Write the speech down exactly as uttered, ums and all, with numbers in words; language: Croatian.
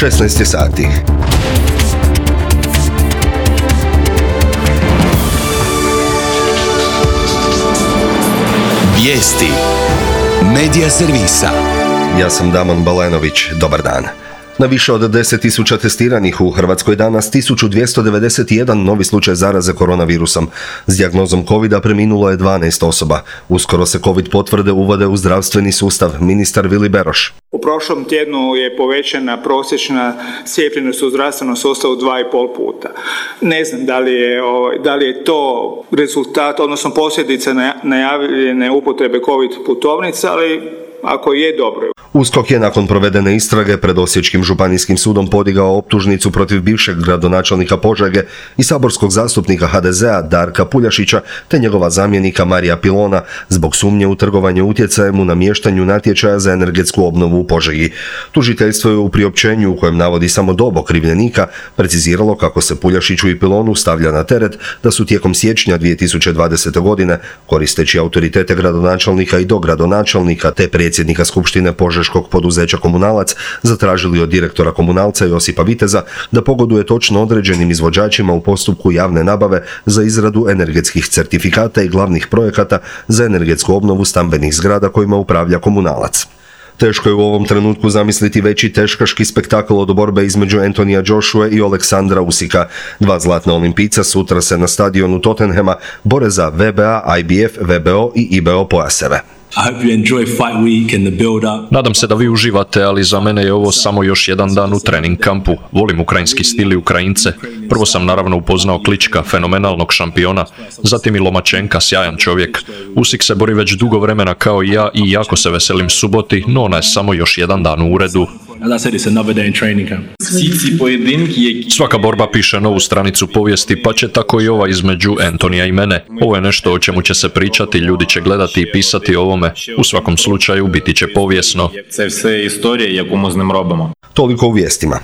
šesnaest je sati. Vijesti Medija servisa. Ja sam Damon Balenović, dobar dan. Na više od deset tisuća testiranih u Hrvatskoj danas tisuću dvjesto devedeset jedan novi slučaj zaraze koronavirusom. S dijagnozom covida preminulo je dvanaest osoba. Uskoro se covid potvrde uvode u zdravstveni sustav, ministar Vili Beroš. U prošlom tjednu je povećana prosječna cijepljenost u zdravstvenom sustavu dva i pol puta. Ne znam da li je, da li je to rezultat, odnosno posljedica najavljene upotrebe covid putovnica, ali ako je, dobro. USKOK je nakon provedene istrage pred Osječkim županijskim sudom podigao optužnicu protiv bivšeg gradonačelnika Požege i saborskog zastupnika ha de zea Darka Puljašića te njegova zamjenika Marija Pilona zbog sumnje u trgovanje utjecajem u namještanju natječaja za energetsku obnovu u Požegi. Tužiteljstvo je u priopćenju u kojem navodi samo dob okrivljenika preciziralo kako se Puljašiću i Pilonu stavlja na teret da su tijekom siječnja dvije tisuće dvadesete. godine, koristeći autoritete gradonačelnika i dogradonačelnika te predsjednika skupštine požeškog poduzeća Komunalac, zatražili od direktora Komunalca Josipa Viteza da pogoduje točno određenim izvođačima u postupku javne nabave za izradu energetskih certifikata i glavnih projekata za energetsku obnovu stambenih zgrada kojima upravlja Komunalac. Teško je u ovom trenutku zamisliti veći teškaški spektakl od borbe između Antonija Joshua i Aleksandra Usika. Dva zlatna olimpijca sutra se na stadionu Tottenhama bore za ve be a, i be ef, ve be o i i be o pojaseve. Nadam se da vi uživate, ali za mene je ovo samo još jedan dan u trening kampu. Volim ukrajinski stil i Ukrajince. Prvo sam naravno upoznao Klička, fenomenalnog šampiona, zatim i Lomačenka, sjajan čovjek. Usik se bori već dugo vremena kao i ja i jako se veselim suboti, no ona je samo još jedan dan u uredu. Svaka borba piše novu stranicu povijesti, pa će tako i ova između Antonija i mene. Ovo je nešto o čemu će se pričati, ljudi će gledati i pisati o ovome. U svakom slučaju biti će povijesno. Toliko u vijestima.